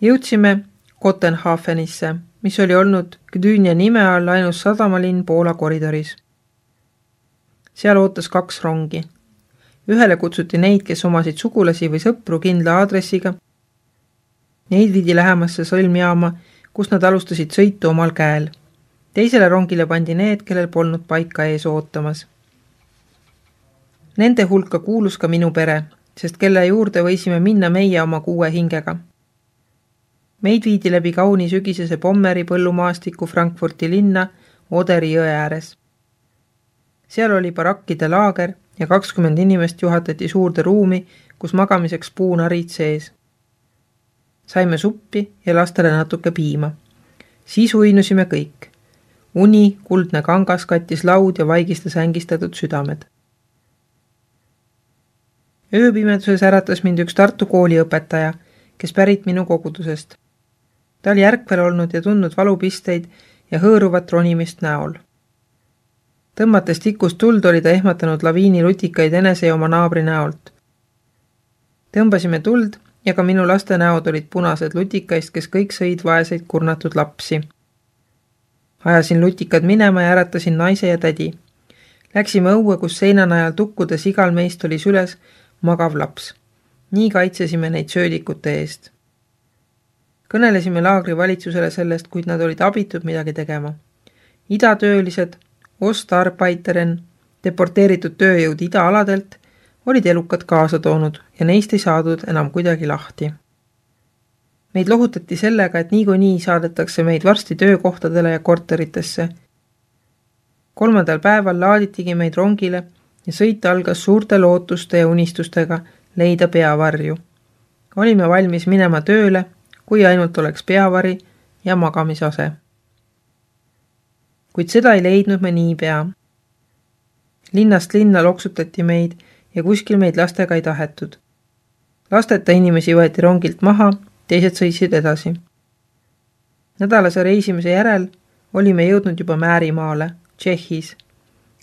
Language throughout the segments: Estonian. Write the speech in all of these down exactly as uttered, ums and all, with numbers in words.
Jõudsime Kotenhafenisse, mis oli olnud Gdynia nime all ainus sadamalinn Poola koridoris. Seal ootas kaks rongi. Ühele kutsuti neid, kes omasid sugulasi või sõpru kindla aadressiga. Neid viidi lähemasse sõlmjaama, kus nad alustasid sõitu omal käel. Teisele rongile pandi need, kellel polnud paika ees ootamas. Nende hulka kuulus ka minu pere, sest kelle juurde võisime minna meie oma kuue hingega. Meid viidi läbi kauni sügisese Pommeri põllumaastiku Frankfurti linna Oderi jõe ääres. Seal oli barakkide laager ja kakskümmend inimest juhatati suurde ruumi, kus magamiseks puunarid sees. Saime suppi ja lastele natuke piima. Siis uinusime kõik. Uni, kuldne kangas kattis laud ja vaigistas ängistatud südamed. Ööpimeduses äratas mind üks Tartu kooliõpetaja, kes pärit minu kogudusest. Ta oli järkvel olnud ja tundnud valupisteid ja hõõruvat ronimist näol. Tõmmates tikust tuld oli ta ehmatanud laviini lutikaid enese ja oma naabri näolt. Tõmbasime tuld ja ka minu laste näod olid punased lutikaist, kes kõik sõid vaeseid kurnatud lapsi. Ajasin lutikad minema ja äratasin naise ja tädi. Läksime õue, kus seinanajal tukkudes igal meist oli süles magav laps. Nii kaitsesime neid söödikute eest. Kõnelesime laagri valitsusele sellest, kuid nad olid abitud midagi tegema. Idatöölised, Ostarbeiteren, deporteeritud tööjõud idaaladelt, olid elukad kaasa toonud ja neist ei saadud enam kuidagi lahti. Meid lohutati sellega, et niikuinii saadetakse meid varsti töökohtadele ja korteritesse. Kolmandal päeval laaditigi meid rongile ja sõit algas suurte lootuste ja unistustega leida peavarju. Olime valmis minema tööle, kui ainult oleks peavari ja magamisase. Kuid seda ei leidnud me niipea. Linnast linna loksutati meid ja kuskil meid lastega ei tahetud. Lasteta inimesi võeti rongilt maha, teised sõitsid edasi. Nädalase reisimise järel olime jõudnud juba Määrimaale, Tšehhis.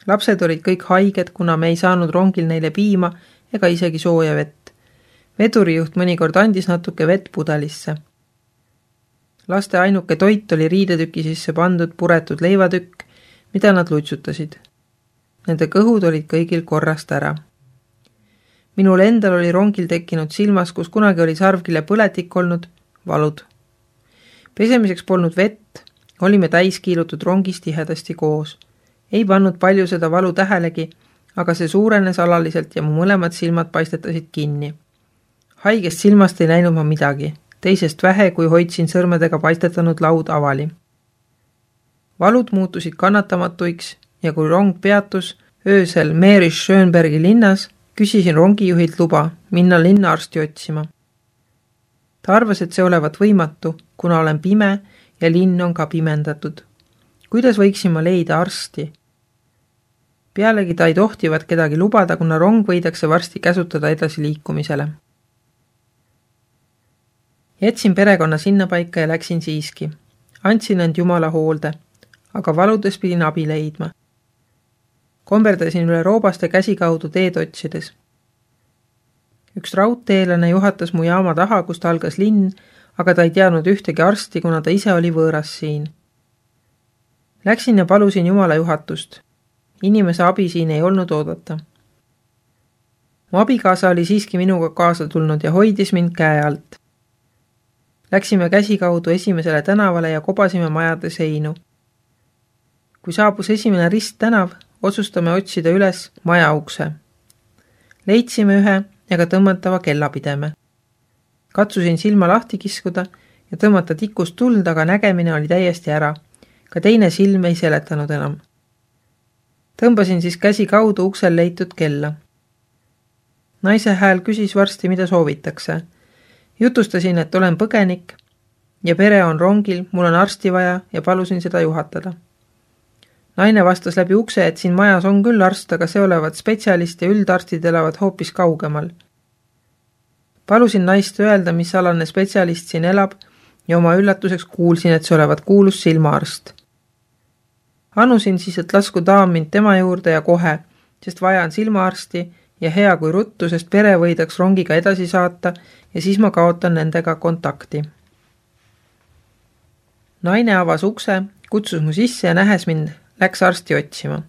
Lapsed olid kõik haiged, kuna me ei saanud rongil neile piima ega isegi sooja vett. Vedurijuht mõnikord andis natuke vett pudelisse. Laste ainuke toit oli riidetüki sisse pandud puretud leivatükk, mida nad lutsutasid. Nende kõhud olid kõigil korrast ära. Minul endal oli rongil tekkinud silmas, kus kunagi oli sarvkile põletik olnud, valud. Pesemiseks polnud vett, olime täis kiilutud rongis tihedasti koos. Ei pannud palju seda valu tähelegi, aga see suurenes alaliselt ja mu mõlemad silmad paistetasid kinni. Haigest silmast ei näinud ma midagi, teisest vähe, kui hoidsin sõrmedega paistetanud laud avali. Valud muutusid kannatamatuiks ja kui rong peatus öösel Meerisch-Schönbergi linnas, küsisin rongijuhilt luba minna linna arsti otsima. Ta arvas, et see olevat võimatu, kuna olen pime ja linn on ka pimendatud. Kuidas võiksin ma leida arsti? Pealegi ta ei tohtivat kedagi lubada, kuna rong võidakse varsti käsutada edasi liikumisele. Jätsin perekonna sinna paika ja läksin siiski. Andsin end Jumala hoolde, aga valudes pidin abi leidma. Komberdasin üle roobaste käsi kaudu teed otsides. Üks raudteelane juhatas mu jaama taha, kust algas linn, aga ta ei teadnud ühtegi arsti, kuna ta ise oli võõras siin. Läksin ja palusin Jumala juhatust. Inimese abi siin ei olnud oodata. Mu abikaasa oli siiski minuga kaasa tulnud ja hoidis mind käe alt. Läksime käsi kaudu esimesele tänavale ja kobasime majade seinu. Kui saabus esimene rist tänav, otsustame otsida üles maja ukse. Leidsime ühe ja ka tõmmatava kellapideme. Katsusin silma lahti kiskuda ja tõmmata tikust tuld, aga nägemine oli täiesti ära. Ka teine silm ei seletanud enam. Tõmbasin siis käsi kaudu uksel leitud kella. Naise hääl küsis varsti, mida soovitakse. Jutustasin, et olen põgenik ja pere on rongil, mul on arsti vaja ja palusin seda juhatada. Naine vastas läbi ukse, et siin majas on küll arst, aga see olevat spetsialist ja üldarstid elavad hoopis kaugemal. Palusin naist öelda, mis alane spetsialist siin elab ja oma üllatuseks kuulsin, et see olevat kuulus silmaarst. Anusin siis, et lasku daam mind tema juurde ja kohe, sest vajan silmaarsti ja hea kui ruttu, sest pere võidaks rongiga edasi saata ja siis ma kaotan nendega kontakti. Naine avas ukse, kutsus mu sisse ja nähes mind, läks arsti otsima.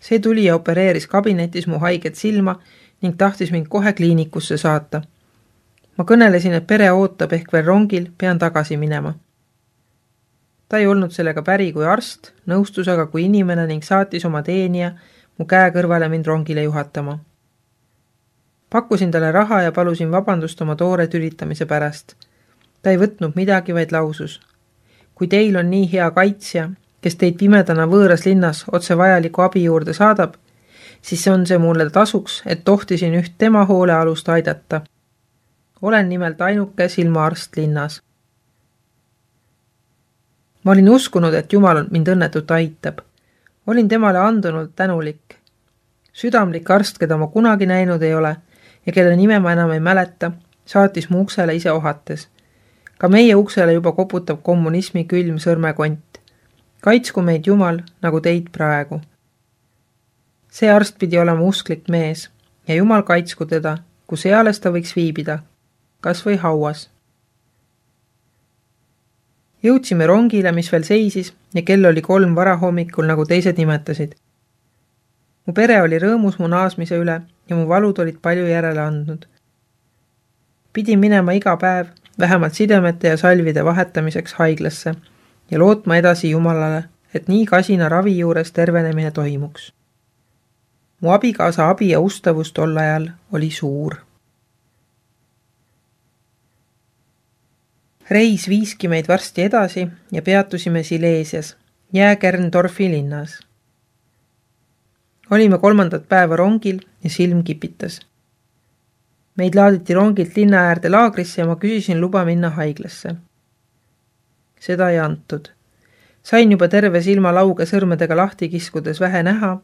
See tuli ja opereeris kabinetis mu haiget silma ning tahtis mind kohe kliinikusse saata. Ma kõnelesin, et pere ootab ehk veel rongil, pean tagasi minema. Ta ei olnud sellega päri kui arst, nõustus aga kui inimene ning saatis oma teenija mu käe kõrvale mind rongile juhatama. Pakkusin talle raha ja palusin vabandust oma toore tülitamise pärast. Ta ei võtnud midagi, vaid lausus. Kui teil on nii hea kaitsja, kes teid pimedana võõras linnas otse vajaliku abi juurde saadab, siis on see mulle tasuks, et tohtisin üht tema hoolealust aidata. Olen nimelt ainuke silmaarst linnas. Ma olin uskunud, et Jumal mind õnnetut aitab. Olin temale andunult tänulik. Südamlik arst, keda ma kunagi näinud ei ole ja kelle nime ma enam ei mäleta, saatis mu uksele ise ohates. Ka meie uksele juba koputab kommunismi külm sõrmekont. Kaitsku meid Jumal, nagu teid praegu. See arst pidi olema usklik mees ja Jumal kaitsku teda, kus eales ta võiks viibida, kas või hauas. Jõudsime rongile, mis veel seisis ja kell oli kolm varahommikul, nagu teised nimetasid. Mu pere oli rõõmus mu naasmise üle ja mu valud olid palju järele andnud. Pidin minema iga päev, vähemalt sidemete ja salvide vahetamiseks haiglasse ja lootma edasi Jumalale, et nii kasina ravi juures tervenemine toimuks. Mu abikaasa abi ja ustavus tol ajal oli suur. Reis viiski meid varsti edasi ja peatusime Silesias, Jääkerndorfi linnas. Olime kolmandat päeva rongil ja silm kipitas. Meid laaditi rongilt linna äärde laagrisse ja ma küsisin luba minna haiglasse. Seda ei antud. Sain juba terve silma lauge sõrmedega lahti kiskudes vähe näha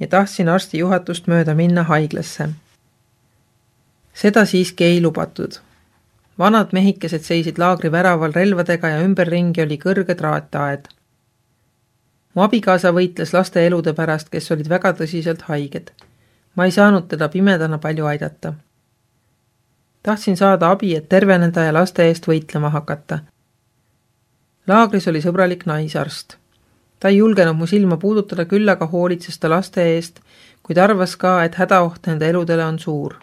ja tahtsin arsti juhatust mööda minna haiglasse. Seda siiski ei lubatud. Vanad mehikesed seisid laagri väraval relvadega ja ümberringi oli kõrge traataed. Mu abikaasa võitles laste elude pärast, kes olid väga tõsiselt haiged. Ma ei saanud teda pimedana palju aidata. Tahtsin saada abi, et terveneda ja laste eest võitlema hakata. Laagris oli sõbralik naisarst. Ta ei julgenud mu silma puudutada, küll aga hoolitses ta laste eest, kuid arvas ka, et hädaoht nende eludele on suur.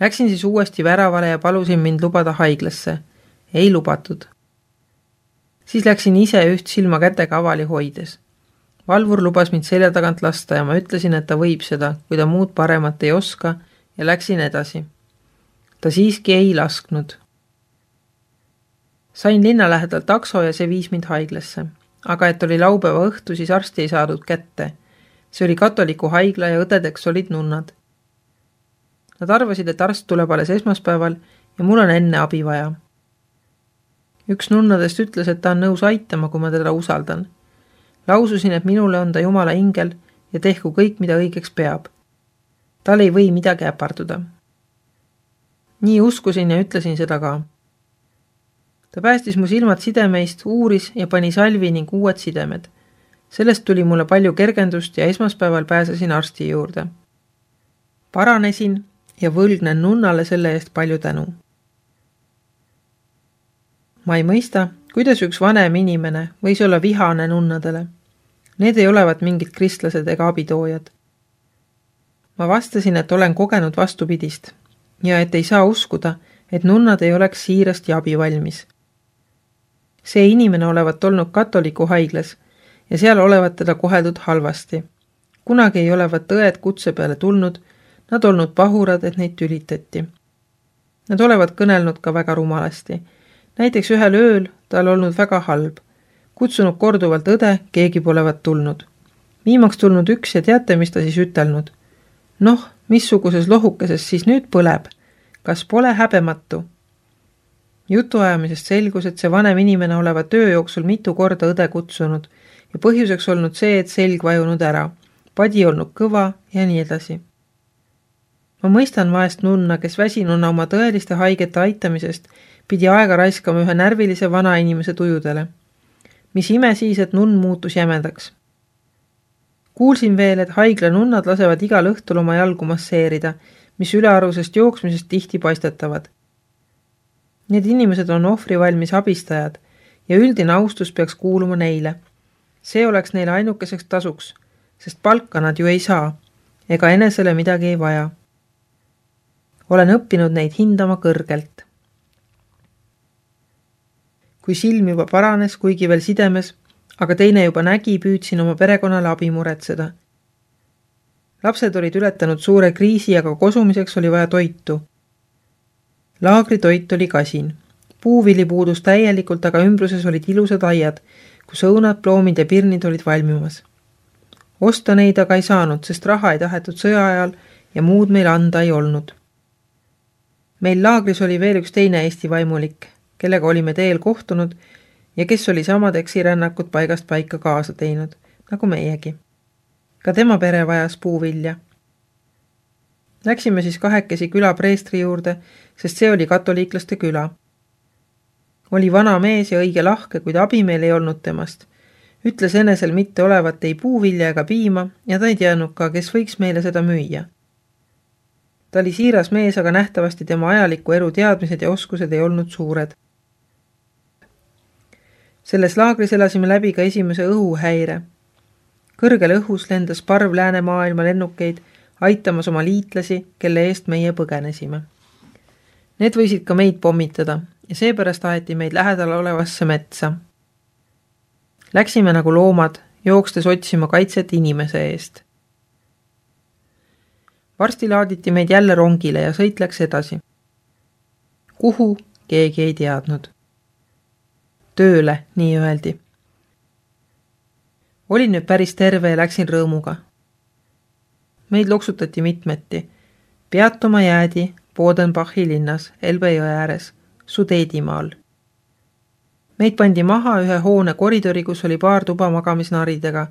Läksin siis uuesti väravale ja palusin mind lubada haiglasse. Ei lubatud. Siis läksin ise üht silma kätega avali hoides. Valvur lubas mind selja tagant lasta ja ma ütlesin, et ta võib seda, kui ta muud paremat ei oska, ja läksin edasi. Ta siiski ei lasknud. Sain linna lähedal takso ja see viis mind haiglasse. Aga et oli laupäeva õhtu, siis arsti ei saadud kätte. See oli katoliku haigla ja õdedeks olid nunnad. Nad arvasid, et arst tuleb alles esmaspäeval ja mul on enne abi vaja. Üks nunnadest ütles, et ta on nõus aitama, kui ma teda usaldan. Laususin, et minule on ta Jumala ingel ja tehku kõik, mida õigeks peab. Tal ei või midagi äparduda. Nii uskusin ja ütlesin seda ka. Ta päästis mu silmad sidemeist, uuris ja pani salvi ning uued sidemed. Sellest tuli mulle palju kergendust ja esmaspäeval pääsesin arsti juurde. Paranesin ja võlgnen nunnale selle eest palju tänu. Ma ei mõista, kuidas üks vanem inimene võis olla vihane nunnadele. Need ei olevat mingid kristlased ega abitoojad. Ma vastasin, et olen kogenud vastupidist ja et ei saa uskuda, et nunnad ei oleks siirast ja abi valmis. See inimene olevat olnud katoliku haiglas ja seal olevat teda koheldud halvasti. Kunagi ei olevat õed kutse peale tulnud, nad olnud pahurad, et neid tülitati. Nad olevat kõnelnud ka väga rumalasti. Näiteks ühel ööl tal olnud väga halb. Kutsunud korduvalt õde, keegi polevat tulnud. Viimaks tulnud üks ja teate, mis ta siis ütelnud? Noh, missuguses lohukeses siis nüüd põleb? Kas pole häbematu? Jutuajamisest selgus, et see vanem inimene oleva töö jooksul mitu korda õde kutsunud ja põhjuseks olnud see, et selg vajunud ära, padi olnud kõva ja nii edasi. Ma mõistan vaest nunna, kes väsinuna oma tõeliste haigete aitamisest pidi aega raiskama ühe närvilise vana inimese tujudele. Mis ime siis, et nunn muutus jämedaks. Kuulsin veel, et haigla nunnad lasevad igal õhtul oma jalgu masseerida, mis ülearusest jooksmisest tihti paistetavad. Need inimesed on ohvri valmis abistajad, ja üldine austus peaks kuuluma neile. See oleks neile ainukeseks tasuks, sest palka nad ju ei saa, ega enesele midagi ei vaja. Olen õppinud neid hindama kõrgelt. Kui silm juba paranes, kuigi veel sidemes, aga teine juba nägi, püüdsin oma perekonnale abi muretseda. Lapsed olid ületanud suure kriisi, aga kosumiseks oli vaja toitu. Laagri toit oli kasin. Puuvili puudus täielikult, aga ümbruses olid ilusad aiad, kus õunad, ploomid ja pirnid olid valmimas. Osta neid aga ei saanud, sest raha ei tahetud sõja ajal ja muud meil anda ei olnud. Meil laagris oli veel üks teine Eesti vaimulik, kellega olime teel kohtunud ja kes oli samad eksirännakut paigast paika kaasa teinud, nagu meiegi. Ka tema pere vajas puuvilja. Läksime siis kahekesi küla preestri juurde, sest see oli katoliiklaste küla. Oli vana mees ja õige lahke, kuid abi meil ei olnud temast. Ütles enesel mitte olevat ei puuvilja ega piima ja ta ei teadnud ka, kes võiks meile seda müüa. Ta oli siiras mees, aga nähtavasti tema ajaliku elu teadmised ja oskused ei olnud suured. Selles laagris elasime läbi ka esimese õhuhäire. Kõrgel õhus lendas parv läänemaailma lennukeid, aitamas oma liitlasi, kelle eest meie põgenesime. Need võisid ka meid pommitada ja seepärast aeti meid lähedal olevasse metsa. Läksime nagu loomad, jookstes otsima kaitset inimese eest. Varsti laaditi meid jälle rongile ja sõit läks edasi. Kuhu, keegi ei teadnud. Tööle, nii öeldi. Olin nüüd päris terve ja läksin rõõmuga. Meid loksutati mitmeti. Peatuma jäädi Bodenbachi linnas, Elbe jõe ääres, Sudeedimaal. Meid pandi maha ühe hoone koridori, kus oli paar tuba magamisnaridega,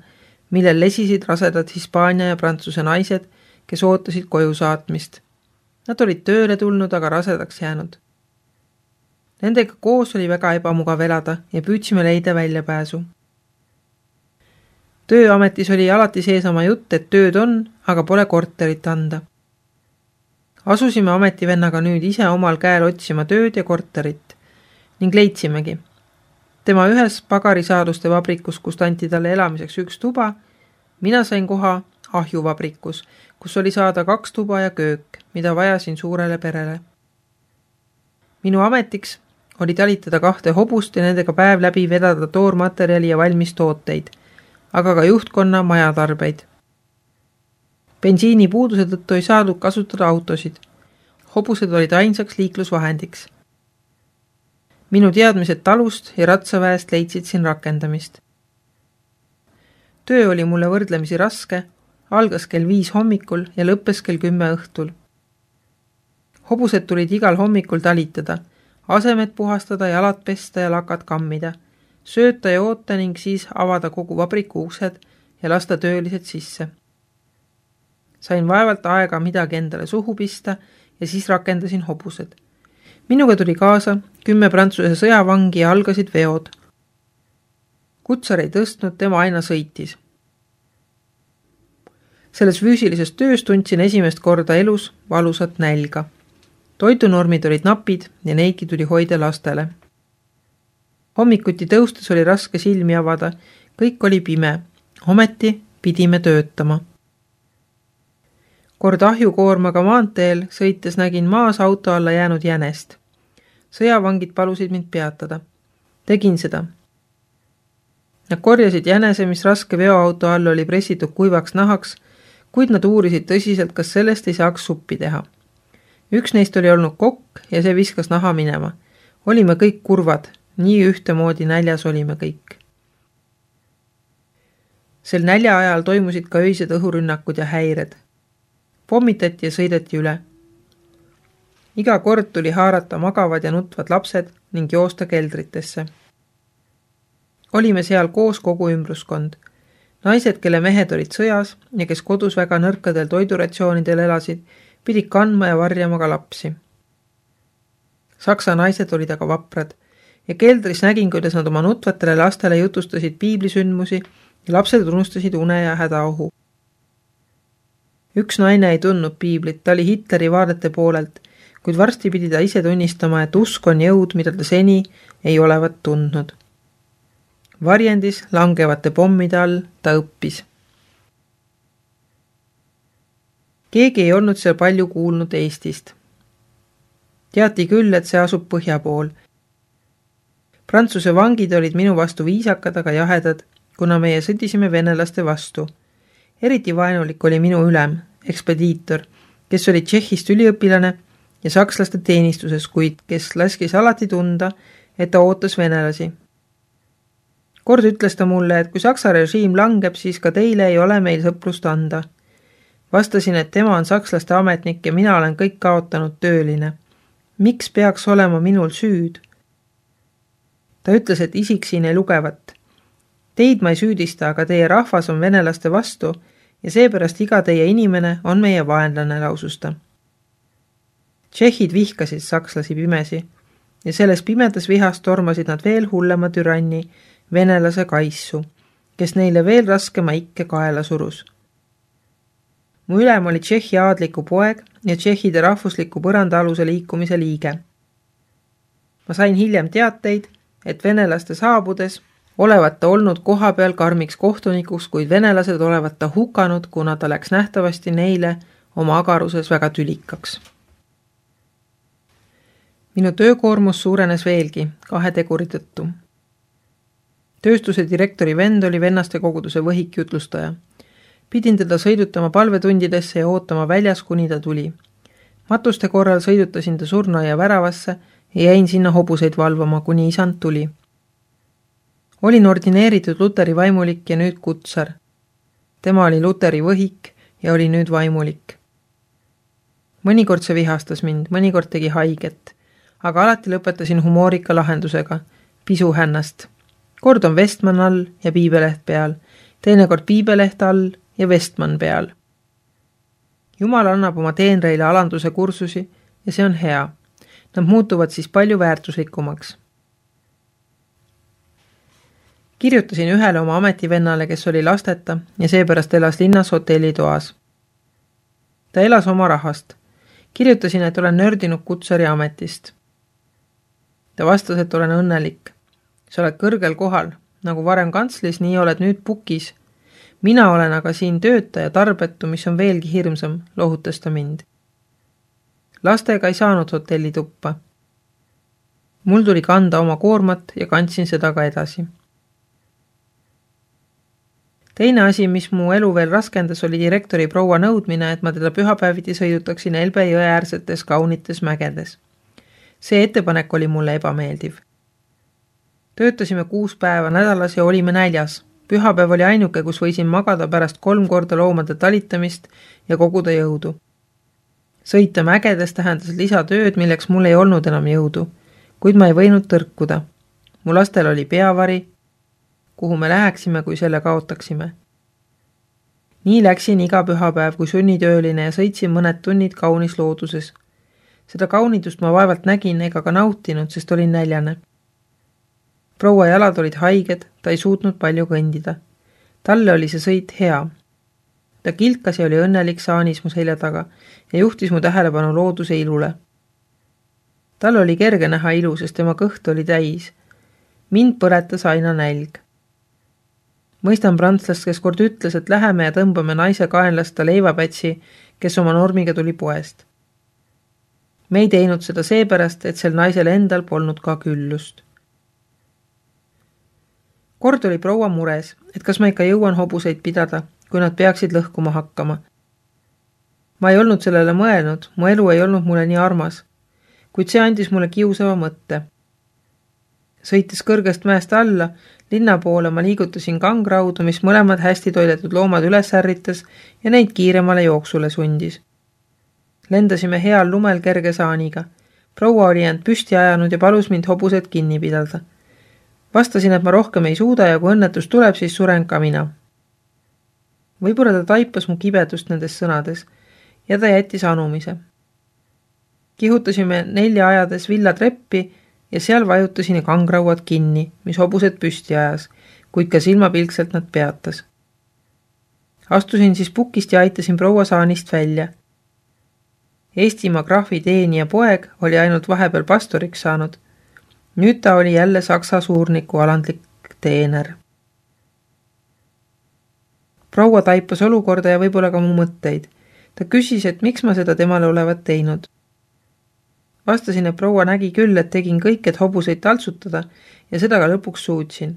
millel lesisid rasedad Hispaania ja Prantsuse naised, kes ootasid koju saatmist. Nad olid tööle tulnud, aga rasedaks jäänud. Nendega koos oli väga ebamugav elada ja püüdsime leida väljapääsu. Tööametis oli alati seesama jutt, et tööd on, aga pole korterit anda. Asusime ametivennaga nüüd ise omal käel otsima tööd ja korterit ning leidsimegi. Tema ühes pagarisaaduste vabrikus, kus anti talle elamiseks üks tuba, mina sain koha ahjuvabrikus, kus oli saada kaks tuba ja köök, mida vajasin suurele perele. Minu ametiks oli talitada kahte hobust ja nendega päev läbi vedada toormaterjali ja valmis tooteid, aga ka juhtkonna majatarbeid. Bensiini puuduse tõttu ei saadud kasutada autosid. Hobused olid ainsaks liiklusvahendiks. Minu teadmised talust ja ratsaväest leidsid siin rakendamist. Töö oli mulle võrdlemisi raske, algas kell viis hommikul ja lõppes kell kümme õhtul. Hobused tulid igal hommikul talitada, asemed puhastada, jalad pesta ja lakad kammida, sööta ja oota ning siis avada kogu vabriku uksed ja lasta töölised sisse. Sain vaevalt aega midagi endale suhu pista ja siis rakendasin hobused. Minuga tuli kaasa kümme Prantsuse sõjavangi ja algasid veod. Kutsar ei tõstnud, tema aina sõitis. Selles füüsilises töös tundsin esimest korda elus valusat nälga. Toidunormid olid napid ja neidki tuli hoida lastele. Hommikuti tõustes oli raske silmi avada, kõik oli pime, ometi pidime töötama. Kord ahjukoormaga maanteel sõites nägin maas auto alla jäänud jänest. Sõjavangid palusid mind peatada. Tegin seda. Nad korjasid jänese, mis raske veoauto all oli pressitud kuivaks nahaks, kuid nad uurisid tõsiselt, kas sellest ei saaks suppi teha. Üks neist oli olnud kokk ja see viskas naha minema. Olime kõik kurvad, nii ühtemoodi näljas olime kõik. Sel nälja ajal toimusid ka öised õhurünnakud ja häired. Pommitati ja sõideti üle. Iga kord tuli haarata magavad ja nutvad lapsed ning joosta keldritesse. Olime seal koos kogu ümbruskond. Naised, kelle mehed olid sõjas ja kes kodus väga nõrkadel toiduratsioonidel elasid, pidid kandma ja varjama ka lapsi. Saksa naised olid aga vaprad ja keldris nägin, kuidas nad oma nutvatele lastele jutustasid piiblisündmusi ja lapsed unustasid une ja hädaohu. Üks naine ei tundnud piiblit, ta oli Hitleri vaadete poolelt, kuid varsti pidi ta ise tunnistama, et usk on jõud, mida ta seni ei olevat tundnud. Varjendis langevate pommide all ta õppis. Keegi ei olnud seal palju kuulnud Eestist. Teati küll, et see asub põhja pool. Prantsuse vangid olid minu vastu viisakad, aga jahedad, kuna meie sõdisime venelaste vastu. Eriti vaenulik oli minu ülem, ekspediitor, kes oli Tšehhist üliõpilane ja sakslaste teenistuses, kuid kes laskis alati tunda, et ta ootas venelasi. Kord ütles ta mulle, et kui Saksa režiim langeb, siis ka teile ei ole meil sõprust anda. Vastasin, et tema on sakslaste ametnik ja mina olen kõik kaotanud tööline. Miks peaks olema minul süüd? Ta ütles, et isik siin ei lugevat. Teid ma ei süüdista, aga teie rahvas on venelaste vastu ja seepärast iga teie inimene on meie vaenlane, laususta. Tšehhid vihkasid sakslasi pimesi ja selles pimedas vihas tormasid nad veel hullema türanni, venelase kaissu, kes neile veel raskema ikke kaela surus. Mu ülem oli Tšehhi aadliku poeg ja Tšehhide rahvusliku põrandaaluse liikumise liige. Ma sain hiljem teateid, et venelaste saabudes olevat ta olnud koha peal karmiks kohtunikuks, kuid venelased olevat ta hukanud, kuna ta läks nähtavasti neile oma agaruses väga tülikaks. Minu töökoormus suurenes veelgi kahe teguri tõttu. Tööstuse direktori vend oli vennaste koguduse võhik jutlustaja. Pidin teda sõidutama palvetundidesse ja ootama väljas, kuni ta tuli. Matuste korral sõidutasin ta surnuaia väravasse ja jäin sinna hobuseid valvama, kuni isand tuli. Olin ordineeritud Luteri vaimulik ja nüüd kutsar. Tema oli Luteri võhik ja oli nüüd vaimulik. Mõnikord see vihastas mind, mõnikord tegi haiget, aga alati lõpetasin humoorika lahendusega, pisu hännast. Kord on Vestman all ja piibeleht peal, teinekord piibeleht all ja Vestman peal. Jumal annab oma teenreile alanduse kursusi ja see on hea. Nad muutuvad siis palju väärtuslikumaks. Kirjutasin ühele oma ametivennale, kes oli lasteta ja seepärast elas linnas hotellitoas. Ta elas oma rahast. Kirjutasin, et olen nördinud kutsari ametist. Ta vastas, et olen õnnelik. Sa oled kõrgel kohal, nagu varem kantslis, nii oled nüüd pukis. Mina olen aga siin töötaja tarbetu, mis on veelgi hirmsam, lohutas ta mind. Lastega ei saanud hotelli tuppa. Mul tuli kanda oma koormat ja kandsin seda ka edasi. Teine asi, mis mu elu veel raskendas, oli direktori proua nõudmine, et ma teda pühapäeviti sõidutaksin Elbe jõe äärsetes kaunites mägedes. See ettepanek oli mulle ebameeldiv. Töötasime kuus päeva nädalas ja olime näljas. Pühapäev oli ainuke, kus võisin magada pärast kolm korda loomade talitamist ja koguda jõudu. Sõita mägedes tähendas lisatööd, milleks mul ei olnud enam jõudu, kuid ma ei võinud tõrkuda. Mu lastel oli peavari, kuhu me läheksime, kui selle kaotaksime. Nii läksin iga pühapäev kui sunnitööline ja sõitsin mõned tunnid kaunis looduses. Seda kaunidust ma vaevalt nägin ega ka nautinud, sest olin näljane. Proua jalad olid haiged, ta ei suutnud palju kõndida. Talle oli see sõit hea. Ta kilkas ja oli õnnelik saanis mu selja taga ja juhtis mu tähelepanu looduse ilule. Tal oli kerge näha ilu, sest tema kõht oli täis. Mind põletas aina nälg. Mõistan prantslast, kes kord ütles, et läheme ja tõmbame naise kaenlasta leivapätsi, kes oma normiga tuli poest. Me ei teinud seda seepärast, et sel naisel endal polnud ka küllust. Kord oli proua mures, et kas ma ikka jõuan hobuseid pidada, kui nad peaksid lõhkuma hakkama. Ma ei olnud sellele mõelnud, mu elu ei olnud mulle nii armas, kuid see andis mulle kiusava mõtte. Sõites kõrgest mäest alla, linna poole ma liigutasin kangraudu, mis mõlemad hästi toidetud loomad üles ärritas ja neid kiiremale jooksule sundis. Lendasime heal lumel kerge saaniga. Proua oli end püsti ajanud ja palus mind hobused kinni pidada. Vastasin, et ma rohkem ei suuda ja kui õnnetus tuleb, siis suren ka mina. Võib-olla ta taipas mu kibedust nendes sõnades ja ta jättis anumise. Kihutasime nelja ajades villatreppi ja seal vajutasin kangrauad kinni, mis hobused püsti ajas, kuid ka silmapilkselt nad peatas. Astusin siis pukist ja aitasin proua saanist välja. Eestimaa graafi teenija poeg oli ainult vahepeal pastoriks saanud. Nüüd ta oli jälle Saksa suurniku alandlik teener. Proua taipas olukorda ja võib-olla ka mu mõtteid. Ta küsis, et miks ma seda temale olevat teinud. Vastasin, et proua nägi küll, et tegin kõik, et hobuseid taltsutada ja seda ka lõpuks suutsin.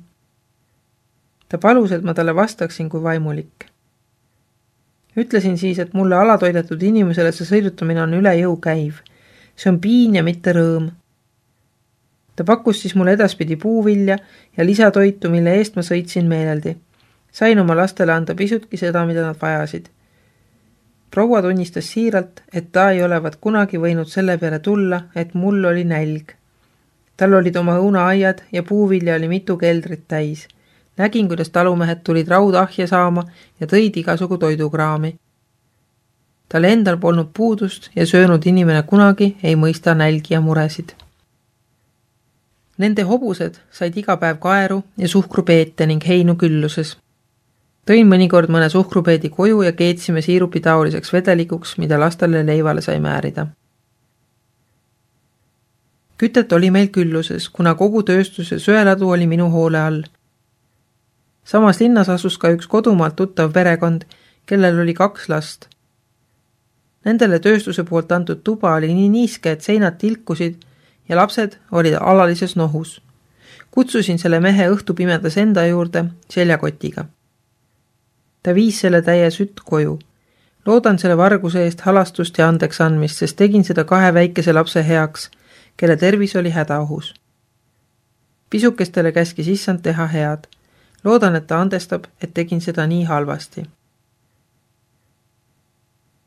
Ta palus, et ma talle vastaksin kui vaimulik. Ütlesin siis, et mulle alatoidetud inimesele see sõidutamine on üle jõu käiv. See on piin ja mitte rõõm. Ta pakkus siis mulle edaspidi puuvilja ja lisatoitu, mille eest ma sõitsin meeleldi. Sain oma lastele anda pisutki seda, mida nad vajasid. Proua tunnistas siiralt, et ta ei olevat kunagi võinud selle peale tulla, et mul oli nälg. Tal olid oma õunaaiad ja puuvilja oli mitu keldrit täis. Nägin, kuidas talumehed tulid raudahja saama ja tõid igasugu toidukraami. Tal endal polnud puudust ja söönud inimene kunagi ei mõista nälgi ja muresid. Nende hobused said iga päev kaeru ja suhkrupeete ning heinu külluses. Tõin mõnikord mõne suhkrupeedi koju ja keetsime siirupi taoliseks vedelikuks, mida lastele leivale sai määrida. Kütet oli meil külluses, kuna kogu tööstus ja söeladu oli minu hoole all. Samas linnas asus ka üks kodumaalt tuttav perekond, kellel oli kaks last. Nendele tööstuse poolt antud tuba oli nii niiske, et seinad tilkusid ja lapsed olid alalises nohus. Kutsusin selle mehe õhtupimedas enda juurde seljakotiga. Ta viis selle täie sütt koju. Loodan selle varguse eest halastust ja andeks andmist, sest tegin seda kahe väikese lapse heaks, kelle tervis oli hädaohus. Pisukestele käskis issand teha head. Loodan, et ta andestab, et tegin seda nii halvasti.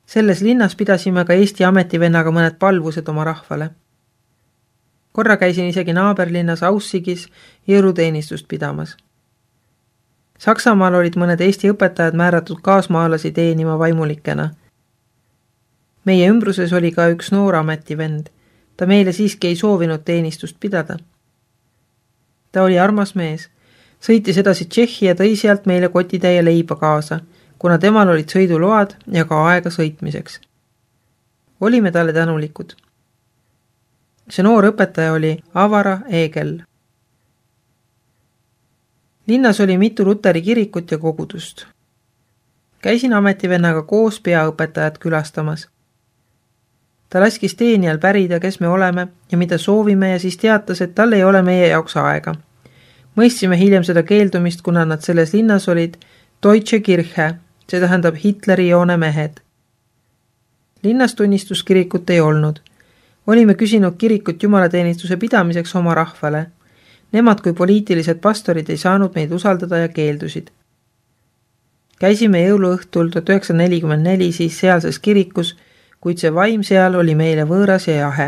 Selles linnas pidasime ka Eesti ametivennaga mõned palvused oma rahvale. Korra käisin isegi naaberlinnas Aussigis jõuluteenistust pidamas. Saksamaal olid mõned Eesti õpetajad määratud kaasmaalasi teenima vaimulikena. Meie ümbruses oli ka üks noor ametivend. Ta meile siiski ei soovinud teenistust pidada. Ta oli armas mees. Sõitis edasi Tšehhi ja tõi sealt meile kotitäie leiba kaasa, kuna temal olid sõiduload ja ka aega sõitmiseks. Olime talle tänulikud. See noor õpetaja oli Avara Eegel. Linnas oli mitu luteri kirikut ja kogudust. Käisin ametivennaga koos peaõpetajat külastamas. Ta laskis teenijal pärida, kes me oleme ja mida soovime ja siis teatas, et tal ei ole meie jaoks aega. Mõistsime hiljem seda keeldumist, kuna nad selles linnas olid Deutsche Kirche, see tähendab Hitleri joone mehed. Linnas tunnistuskirikut ei olnud. Olime küsinud kirikut jumalateenistuse pidamiseks oma rahvale. Nemad kui poliitilised pastorid ei saanud meid usaldada ja keeldusid. Käisime jõuluõhtul tuhat üheksasada nelikümmend neli siis sealses kirikus, kuid see vaim seal oli meile võõras ja jahe.